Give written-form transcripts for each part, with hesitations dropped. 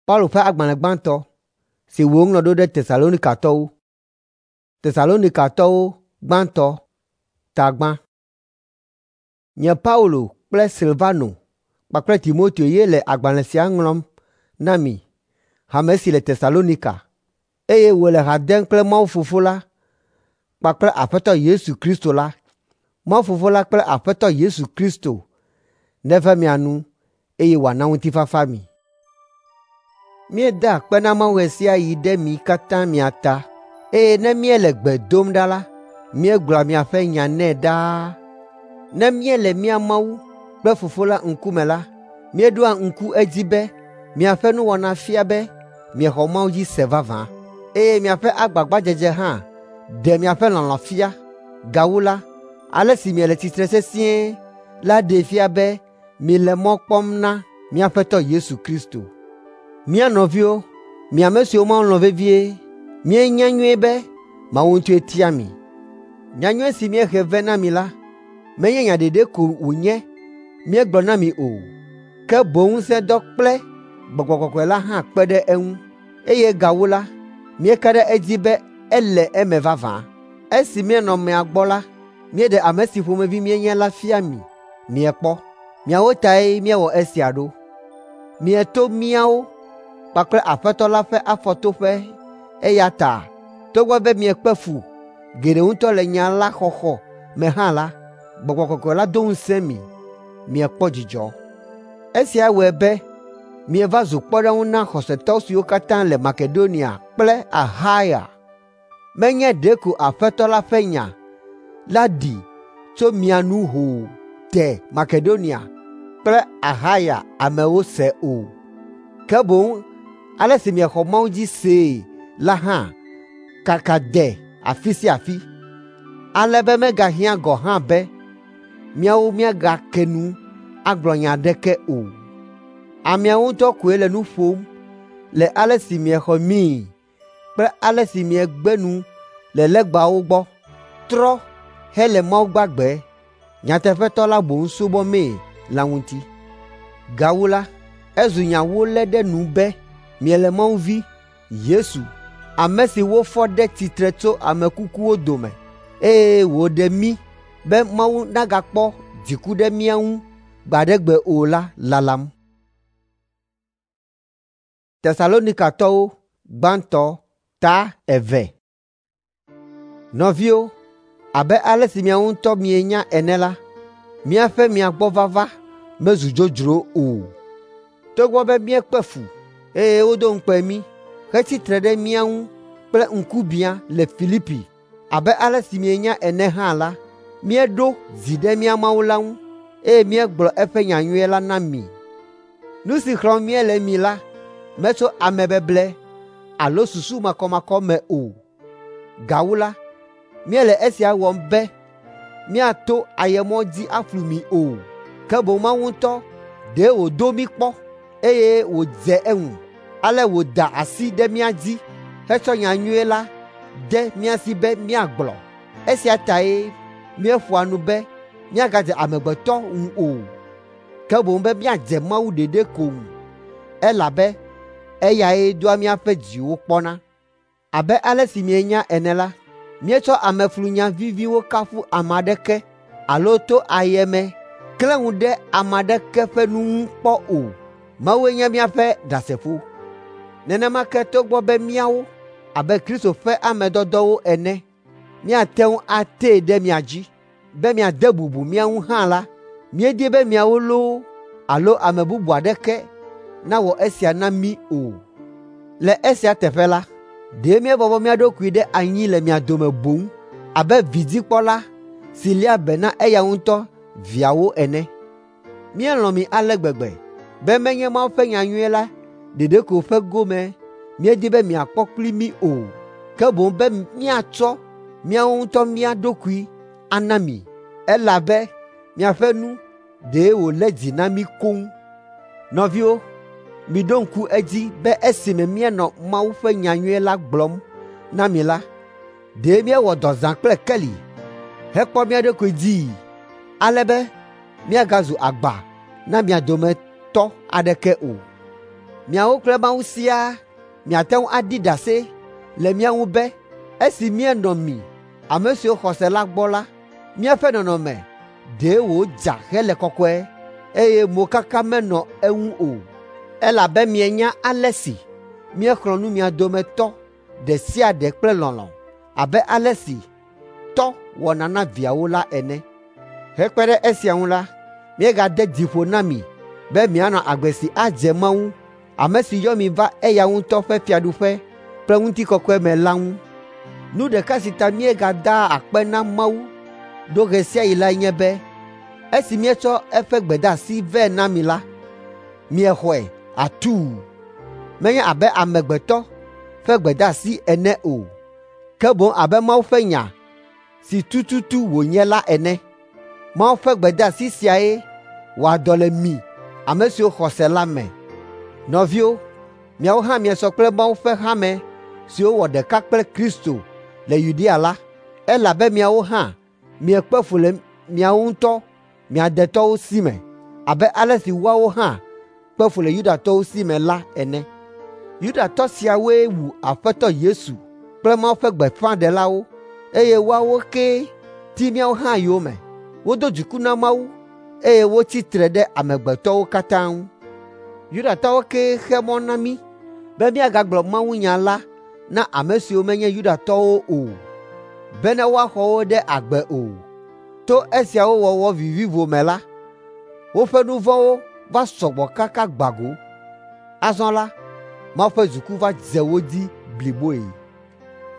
Paulo ƒe agbalẽ gbãtɔ si wòŋlɔ ɖo ɖe Tesalonikatɔwo. Tesalonikatɔwo gbãtɔ ta gbã. Nye Paulo kple Silvano kpakple Timoteo ye le agbalẽ sia ŋlɔm na mi, hame si le Tesalonika, eye wòle ha dem kple Mawu Fofo la kpakple Aƒetɔ Yesu Kristo la. Mawu Fofo la kple Aƒetɔ Yesu Kristo neve mia nu eye wòana ŋutifafa mi. Míedaa akpe na Mawu ɣe sia ɣi ɖe mi katã mia ta, eye ne míele gbe dom ɖa la, míegblɔa miaƒe nya nɛ ɖaa. Ne míele mía Mawu kple Fofo la ŋkume la, míeɖoa ŋku edzi be miaƒe nuwɔna fia be miexɔ Mawu dzi se vavã, eye miaƒe agbagbadzedze hã ɖe miaƒe lɔlɔ̃ fia. Gawu la, ale si miele tsitre sesĩe la ɖee fia be miele mɔ kpɔm na mía Aƒetɔ Yesu Kristo. Mía nɔviwo, mi ame siwo Mawu lɔ̃ vevie, míenya nyuie be Mawu ŋutɔe tia mi. Nyanyui si míehe vɛ na mi la, menye nya ɖeɖe ko wònye míegblɔ na mi o, ke boŋ ŋusẽdɔ kple Gbɔgbɔ Kɔkɔe la hã kpe ɖe eŋu, eye gawu la, míeka ɖe edzi be ele eme vavã. Esi míenɔ mia gbɔ la, míeɖe ame si ƒomevi míenye la fia mi miekpɔ. Miawo tae míewɔ esia ɖo. Mieto míawo kpakple Aƒetɔ la ƒe afɔtoƒe eya ta togbɔ be miekpe fu geɖe ŋutɔ le nya la xɔxɔ me hã la, Gbɔgbɔ Kɔkɔe la do ŋusẽ mi miekpɔ dzidzɔ. Esia wɔe be mieva zu kpɔɖeŋu na xɔsetɔ siwo katã le Makedonia kple Axaya. Menye ɖeko Aƒetɔ la ƒe nya la ɖi tso mia nu hoo de Makedonia kple Axaya amewo se o, ke boŋ ale si miexɔ Mawu dzi see la hã kaka de afi sia afi, ale be megahiã gɔ̃ hã be míawo míagake nu agblɔ nya aɖeke o. Ameawo ŋutɔ koe le nu ƒom le ale si miexɔ míi kple ale si miegbe nu le legbawo gbɔ, trɔ hele Mawu gbagbe, nyateƒetɔ la boŋ subɔmee la ŋuti. Gawu la, ezu nya wolé ɖe nu be miele Mawu Vi, Yesu, ame si wofɔ ɖe tsitre tso ame kukuwo dome, eye wòɖe mí be Mawu nagakpɔ dziku ɖe mía ŋu gbe aɖe gbe o la lalam. Tesalonikatɔwo gbãtɔ ta eve. Nɔviwo, abe ale si miawo ŋutɔ mienya ene la, míaƒe mia gbɔ vava mezu dzodzro o. Togbɔ be míekpe fu, eye wodo ŋukpe mí hetsi tre ɖe mía ŋu kple ŋkubiã le Filipi abe ale si mienya ene hã la, míeɖo dzi ɖe mía Mawu la ŋu, eye míegblɔ eƒe nyanyui la na mi. Nu si xlɔ̃m míele mi la metso amebeble alo susu makɔmakɔ me o. Gawu la, míele esia wɔm be míato ayemɔ dzi aflu mi o, ke boŋ Mawu ŋutɔ ɖe wòdo mí kpɔ, eye wòdze eŋu, ale wòda asi ɖe mía dzi hetsɔ nyanyui la de mía si be míagblɔ. Esia tae míeƒoa nu be míagadze amegbetɔ ŋu o, ke boŋ be míadze Mawu ɖeɖe ko ŋu, elabe eyae doa míaƒe dziwo kpɔna. Abe ale si mienya ene la, míetsɔ ameflunya viviwo kafu ame aɖeke alo to ayeme klẽ ŋu ɖe ame aɖeke ƒe nu ŋu kpɔ o. Mawue nye míaƒe ɖasefo. Nenema ke togbɔ be míawo, abe Kristo ƒe ame dɔdɔwo ene, míate ŋu atee ɖe mia dzi be miade bubu mía ŋu hã la, míedi be miawo loo alo ame bubu aɖeke nawɔ esia na mí o. Le esia teƒe la, ɖe míebɔbɔ mía ɖokui ɖe anyi le mia dome boŋ abe vidzikpɔla si léa be na eya ŋutɔ viawo ene. Míelɔ̃ mi ale gbegbe be menye Mawu ƒe nyanyui la ɖeɖe ko ƒe gome míedi be miakpɔ kpli mí o, ke boŋ be míatsɔ míawo ŋutɔ mía ɖokui ana mi, elabe miaƒe nu ɖe wòlé dzi na mí koŋ. Nɔviwo, miɖo ŋku edzi be esime míenɔ Mawu ƒe nyanyui la gblɔm na mi la, ɖe míewɔ dɔ zã kple keli hekpɔ mía ɖokui dzii, ale be míagazu agba na mia dometɔ aɖeke o. Miawo kple Mawu siaa miate ŋu aɖi ɖase le mía ŋu be esi míenɔ mi, ame siwo xɔ se la gbɔ la, míaƒe nɔnɔme ɖe wòdza hele kɔkɔe, eye mokaka menɔ eŋu o. Elabe mienya ale si míexlɔ̃ nu mia dometɔ ɖe sia ɖe kple lɔlɔ̃ abe ale si tɔ wɔna na viawo la ene. Hekpe ɖe esia ŋu la, míegade dzi ƒo na mi be mianɔ agbe si adze Mawu, ame si yɔ mi va eya ŋutɔ ƒe fiaɖuƒe kple ŋutikɔkɔe me la ŋu. Nu ɖeka si ta míegadaa akpe na Mawu ɖo ɣe sia ɣi lae nye be esi míetsɔ eƒe gbedeasi vɛ na mi la, miexɔe atuu, menye abe amegbetɔ ƒe gbedeasi ene o, ke boŋ abe Mawu ƒe nya si tututu wònye la ene. Mawu ƒe gbedeasi siae wɔa dɔ le mi ame siwo xɔ se la me. Nɔviwo, miawo hã miesɔ kple Mawu ƒe hame siwo wɔ ɖeka kple Kristo le Yudea la, elabe miawo hã miekpe fu le miawo ŋutɔ mia detɔwo si me abe ale si woawo hã kpe fu le Yudatɔwo si me la ene. Yudatɔ siawoe wu Aƒetɔ Yesu kple Mawu ƒe gbeƒãɖelawo, eye woawo kee ti míawo hã yome. Wodo dziku na Mawu eye wotsi tre ɖe amegbetɔwo katã ŋu. Yudatɔwo kee xe mɔ na mí be míagagblɔ mawunya la na ame siwo menye Yudatɔwo o, bene woaxɔ wo ɖe agbe o. To esiawo wɔwɔ vivivo me la, woƒe nu vɔ̃wo va sɔgbɔ kaka gbã go. Azɔ la, Mawu ƒe dziku va dze wo dzi bliboe.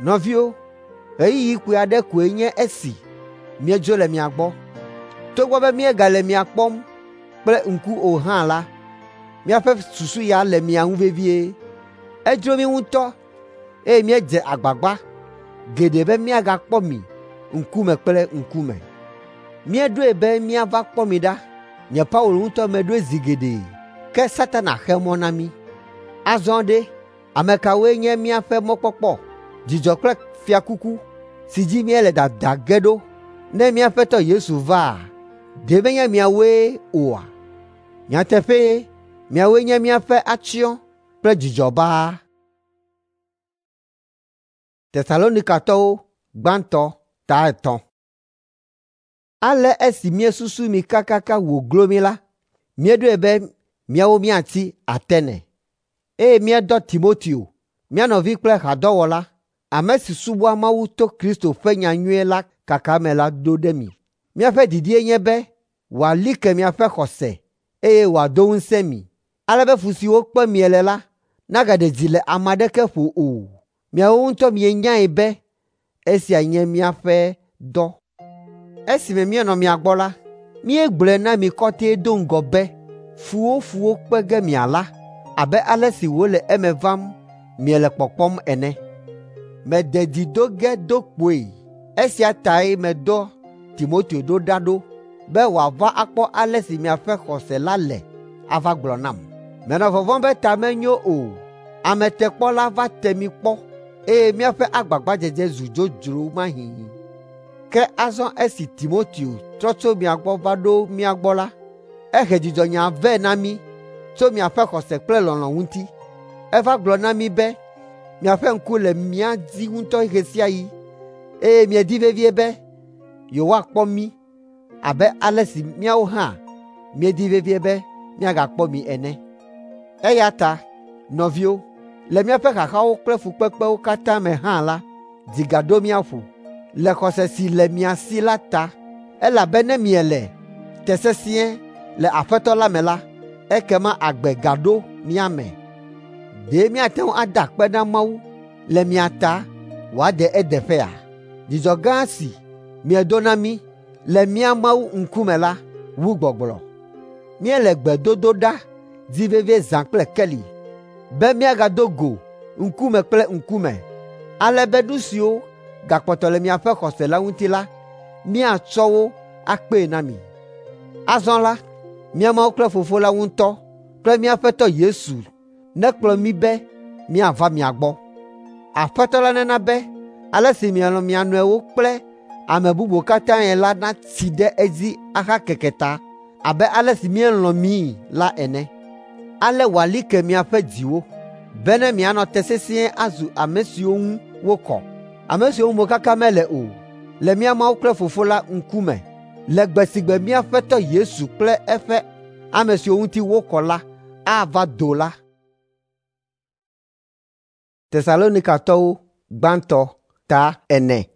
Nɔviwo, ɣeyiɣi kpui aɖe koe nye esi míedzo le mia gbɔ. Togbɔ be míegale mia kpɔm kple ŋku o hã la, míaƒe susu ya le mia ŋu vevie. Edzro mí ŋutɔ eye míedze agbagba geɖe be míagakpɔ mi ŋkume kple ŋkume. Míeɖoe be míava kpɔ mi ɖa. Nye Paulo ŋutɔ meɖoe zi geɖe, ke Satana xe mɔ na mí. Azɔ ɖe, ame kawoe nye míaƒe mɔkpɔkpɔ, dzidzɔ kple fiakuku si dzi míele dada ge ɖo ne mía Aƒetɔ Yesu vaa? Ɖe menye miawoe oa? Nyateƒee, miawoe nye míaƒe atsyɔ̃ kple dzidzɔ baa. Tesalonikatɔwo gbãtɔ ta 3. Ale esi míesusu mi kakaka wòglo mí la, míeɖoe be míawo míatsi Atene, eye míedɔ Timoteo, mía nɔvi kple hadɔwɔla, ame si subɔa Mawu to Kristo ƒe nyanyui la kaka me la ɖo ɖe mi. Míaƒe didie nye be wòali ke miaƒe xɔse eye wòado ŋusẽ mi, ale be fu siwo kpem miele la nagaɖe dzi le ame aɖeke ƒo o. Miawo ŋutɔ mienyae be esia nye míaƒe dɔ. Esime míenɔ mia gbɔ la, míegblɔe na mi kɔtɛe do ŋgɔ be fuwo fuwo kpe ge miala abe ale si wòle eme vam miele kpɔkpɔm ene. Mede dzi do ge do kpoe. Esia tae medɔ Timoteo ɖo ɖa ɖo be wòava akpɔ ale si miaƒe xɔse la le ava gblɔ nam. Menɔ vɔvɔ̃m be ta menyo o. Ametekpɔla va te mi kpɔ eye míaƒe agbagbadzedze zu dzodzro mahĩ. Ke azɔ esi Timoteo trɔ tso mia gbɔ va ɖo mía gbɔ la, ehe dzidzɔnya vɛ na mí tso miaƒe xɔse kple lɔlɔ̃ ŋuti. Eva gblɔ na mí be miaƒe ŋku le mía dzi ŋutɔ ɣe sia ɣi eye miedi vevie be yewoakpɔ mí abe ale si míawo hã míedi vevie be míagakpɔ mi ene. Eya ta, nɔviwo, le míaƒe xaxawo kple fukpekpewo katã me hã la, dzi gaɖo mía ƒo le xɔse si le mia si la ta, elabe ne miele te sesĩe le Aƒetɔ la me la, ekema agbe gaɖo mía me. Ɖe míate ŋu ada akpe na Mawu le mia ta wòade edeƒea? Dzidzɔ gã si miedo na mí le mía Mawu ŋkume la wu gbɔgblɔ. Míele gbedodo ɖa di vevie zã kple keli be míagado go ŋkume kple ŋkume, ale be nu siwo gakpɔtɔ le miaƒe xɔse la ŋuti la, míatsɔ wo akpee na mi. Azɔ la, mía Mawu kple Fofo la ŋutɔ kple mía Aƒetɔ Yesu nekplɔ mí be míava mia gbɔ. Aƒetɔ la nena be ale si mielɔ̃ mia nɔewo kple ame bubuwo katãe la natsi ɖe edzi ahakeke ta abe ale si míelɔ̃ mii la ene. Ale wòali ke miaƒe dziwo, bene mianɔ te sesĩe azu ame siwo ŋu wokɔ, ame siwo ŋu mokaka mele o, le mía Mawu kple Fofo la ŋkume, le gbe si gbe mía Aƒetɔ Yesu kple eƒe ame siwo ŋuti wokɔ la ava do la. Tesalonikatɔwo gbãtɔ ta 4.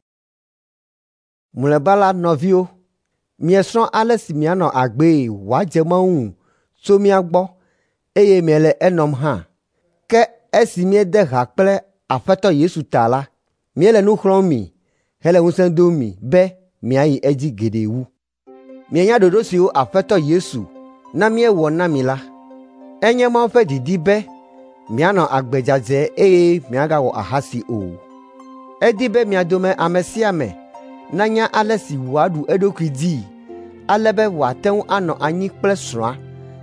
Mlɔeba la, nɔviwo, miesrɔ̃ ale si mianɔ agbee wòadze Mawu ŋu tso mía gbɔ eye miele enɔm hã. Ke esi míede ha kple Aƒetɔ Yesu ta la, míele nu xlɔ̃m mi hele ŋusẽ dom mi be miayi edzi geɖe wu. Mienya ɖoɖo siwo Aƒetɔ Yesu na míewɔ na mi la. Enye Mawu ƒe didi be mianɔ agbe dzadzɛ eye miagawɔ ahasi o. Edi be mia dome ame sia ame nanya ale si wòaɖu eɖokui dzii ale be wòate ŋu anɔ anyi kple srɔ̃a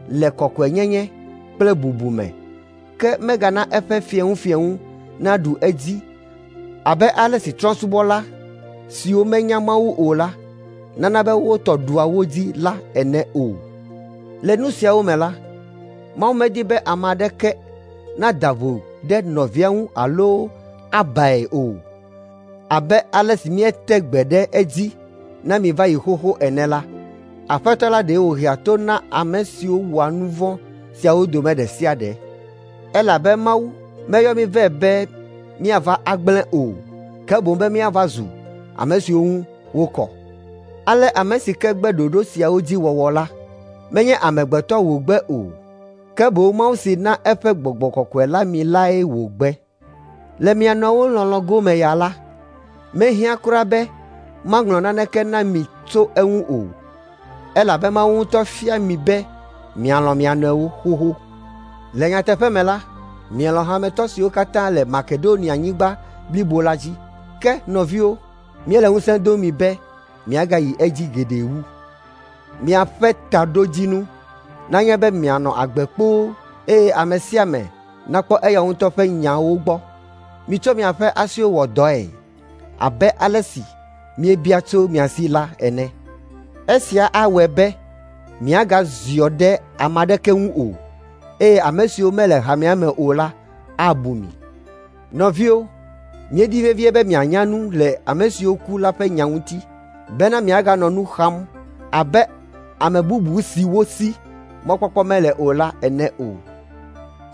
le kɔkɔenyenye kple bubu me, ke megana eƒe fieŋufieŋu naɖu edzi abe ale si trɔ̃subɔla siwo menya Mawu o la nana be wo tɔ ɖua wo dzi la ene o. Le nu siawo me la, Mawu medi be ame aɖeke nada vo ɖe nɔvia ŋu alo abae o. Abe ale si míete gbe ɖe edzi na mi va yi xoxo ene la, Aƒetɔ la ɖe wòhea to na ame siwo wɔa nu vɔ̃ siawo dome ɖe sia ɖe. Elabe Mawu meyɔ mí vɛ be míava agblẽ o, ke boŋ be míava zu ame siwo ŋu wokɔ. Ale ame si ke gbe ɖoɖo siawo dzi wɔwɔ la, menye amegbetɔ wògbe o, ke boŋ Mawu si na eƒe Gbɔgbɔ Kɔkɔe la mi lae wògbe. Le mia nɔewo lɔlɔ̃ gome ya la, mehiã kura be maŋlɔ naneke na mi tso eŋu o, elabe Mawu ŋutɔ fia mi be mialɔ̃ mia nɔewo xoxo. Le nyateƒe me la, mielɔ̃ hametɔ siwo katã le Makedonianyigba blibo la dzi. Ke nɔviwo, míele ŋusẽ dom mi be miagayi edzi geɖe wu. Miaƒe taɖodzinu nanye be mianɔ agbe kpoo eye ame sia ame nakpɔ eya ŋutɔ ƒe nyawo gbɔ. Mitsɔ miaƒe asiwo wɔ dɔe abe ale si míebia tso mia si la ene. Esia awɔe be miagaziɔ ɖe ame aɖeke ŋu o, eye ame siwo mele hamea me o la abu mi. Nɔviwo, míedi vevie be mianya nu le ame siwo ku la ƒe nya ŋuti, bena miaganɔ nu xam abe ame bubu siwo si mɔkpɔkpɔ mele o la ene o.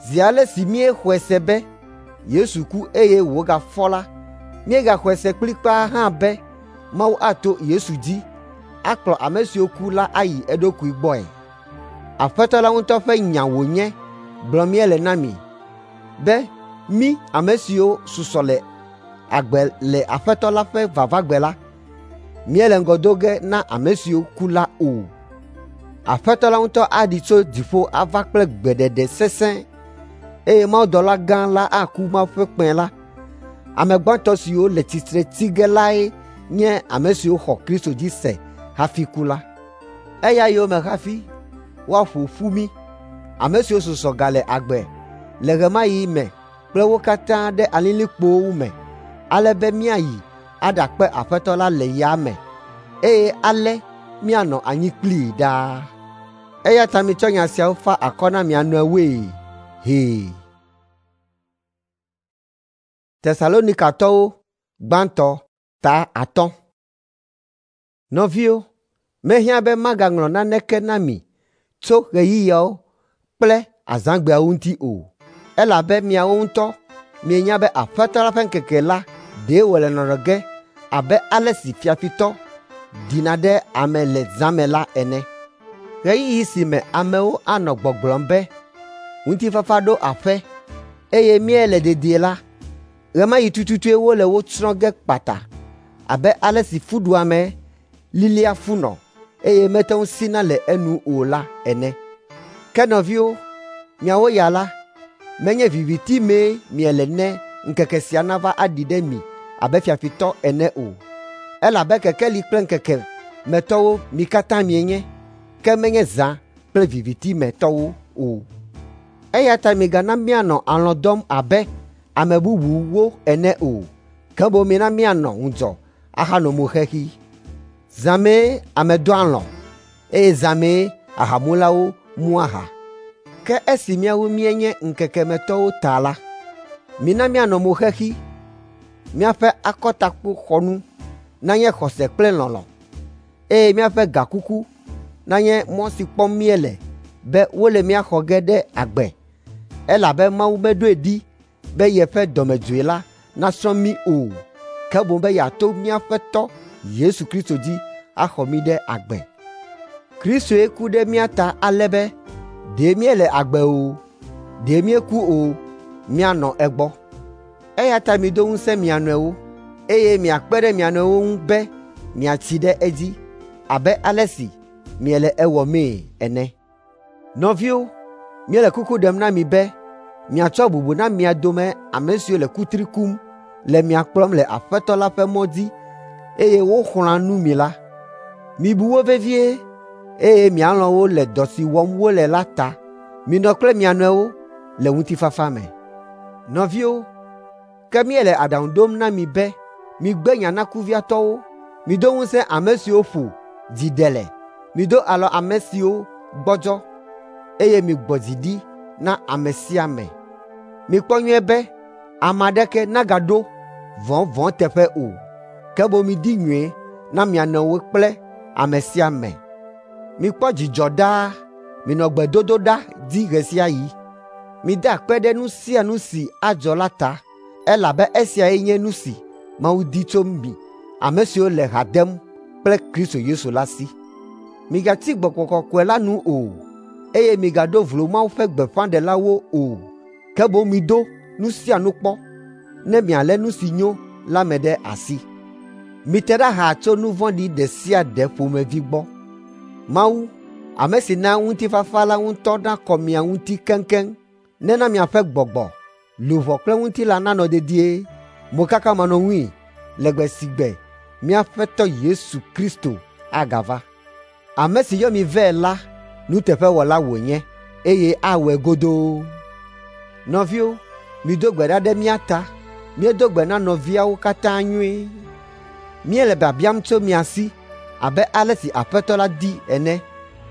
Zi ale si míexɔe se be Yesu ku eye wògafɔ la, míegaxɔe se kplikpaa hã be Mawu ato Yesu dzi akplɔ ame siwo ku la ayi eɖokui gbɔe. Aƒetɔ la ŋutɔ ƒe nya wònye gblɔm míele na mi be mí ame siwo susɔ le agbe le Aƒetɔ la ƒe vavagbe la, míele ŋgɔ do ge na ame siwo ku la o. Aƒetɔ la ŋutɔ aɖi tso dziƒo ava kple gbeɖeɖe sesẽ, eye mawudɔla gã la aku Mawu ƒe kpẽ la. Ame gbãtɔ siwo le tsitre tsi ge lae nye ame siwo xɔ Kristo dzi se hafi ku la. Eya yome hafi woaƒo ƒu mí, ame siwo susɔ gale agbe le ɣe ma ɣi me kple wo katã ɖe alilikpowo me, ale be míayi aɖakpe Aƒetɔ la le yame, eye ale míanɔ anyi kplii ɖaa. Eya ta mitsɔ nya siawo fa akɔ na mia nɔewoe hee. Tesalonikatɔwo gbãtɔ ta 5. Nɔviwo, mehiã be magaŋlɔ naneke na mi tso ɣeyiɣiawo kple azãgbeawo ŋuti o, elabe miawo ŋutɔ mienya be Aƒetɔ la ƒe ŋkeke la ɖe wòle nɔnɔ ge abe ale si fiafitɔ ɖina ɖe ame le zã me la ene. Ɣeyiɣi si me amewo anɔ gbɔgblɔm be ŋutifafa ɖo aƒe eye míele dedie la, ɣe ma ɣi tututue wole wo tsrɔ̃ ge kpata abe ale si fuɖuame lilia funɔ eye mete ŋu sina le enu o la ene. Ke nɔviwo, miawo ya la, menye viviti mee miele ne ŋkeke sia nava aɖi ɖe mi abe fiafitɔ ene o. Elabe kekeli kple ŋkeke me tɔwo mi katã mienye, ke menye zã kple viviti me tɔwo o. Eya ta migana míanɔ alɔ̃ dɔm abe ame bubuwo ene o, ke boŋ mina míanɔ ŋudzɔ ahanɔ mo xexi. Zã mee ame dɔa alɔ̃, eye zã mee ahamulawo mua aha. Ke esi míawo míenye ŋkekemetɔwo ta la, mina míanɔ mo xexi, míaƒe akɔtakpoxɔnu nanye xɔse kple lɔlɔ̃, eye míaƒe gakuku nanye mɔ si kpɔm míele be wole mía xɔ ge ɖe agbe, elabe Mawu meɖoe ɖi be yeƒe dɔmedzoe la nasrɔ̃ mí o, ke boŋ be yeato mía Aƒetɔ Yesu Kristo dzi axɔ mí ɖe agbe. Kristoe ku ɖe mía ta ale be ɖe míele agbe o, ɖe míeku o, míanɔ egbɔ. Eya ta mido ŋusẽ mia nɔewo, eye miakpe ɖe mia nɔewo ŋu be miatsi ɖe edzi abe ale si miele ewɔmee ene. Nɔviwo, míele kuku ɖem na mi be miatsɔ bubu na mia dome ame siwo le kutri kum le mia kplɔm le Aƒetɔ la ƒe mɔ dzi eye woxlɔ̃a nu mi la. Mibu wo vevie eye mialɔ̃ wo le dɔ si wɔm wole la ta. Minɔ kple mia nɔewo le ŋutifafa me. Nɔviwo, ke míele aɖaŋu ɖom na mi be migbe nya na kuviatɔwo, mido ŋusẽ ame siwo ƒo dzi ɖe le, mido alɔ ame siwo gbɔdzɔ, eye migbɔ dzi ɖi na ame sia ame. Mikpɔ nyuie be ame aɖeke nagaɖo vɔ̃ vɔ̃ teƒe o, ke boŋ midi nyui na mia nɔewo kple ame sia ame. Mikpɔ dzidzɔ ɖaa, minɔ gbedodoɖa dzi ɣe sia ɣi. Mida akpe ɖe nu sia nu si adzɔ la ta, elabe esiae nye nu si Mawu di tso mi ame siwo le ha dem kple Kristo Yesu la si. Migatsi Gbɔgbɔ Kɔkɔe la nu o, eye migaɖo vlo Mawu ƒe gbeƒãɖelawo o, ke boŋ mido nu sia nu kpɔ, ne mialé nu si nyo la me ɖe asi. Mite ɖa xaa tso nu vɔ̃ɖi ɖe sia ɖe ƒomevi gbɔ. Mawu, ame si na ŋutifafa la ŋutɔ nakɔ mia ŋuti keŋkeŋ, nena miaƒe gbɔgbɔ, luʋɔ kple ŋutilã nanɔ dedie, mokakamanɔŋui le gbe si gbe mía Aƒetɔ Yesu Kristo agava. Ame si yɔ mi vɛ la nuteƒewɔla wònye eye awɔe godoo. Nɔviwo, mido gbe ɖa ɖe mía ta. Míedo gbe na nɔviawo katã nyuie. Míele biabiam tso mia si abe ale si Aƒetɔ la di ene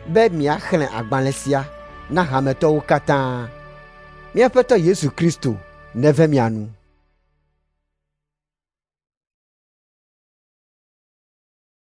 be miaxlẽ agbalẽ sia na hametɔwo katã. Mía Aƒetɔ Yesu Kristo neve mia nu.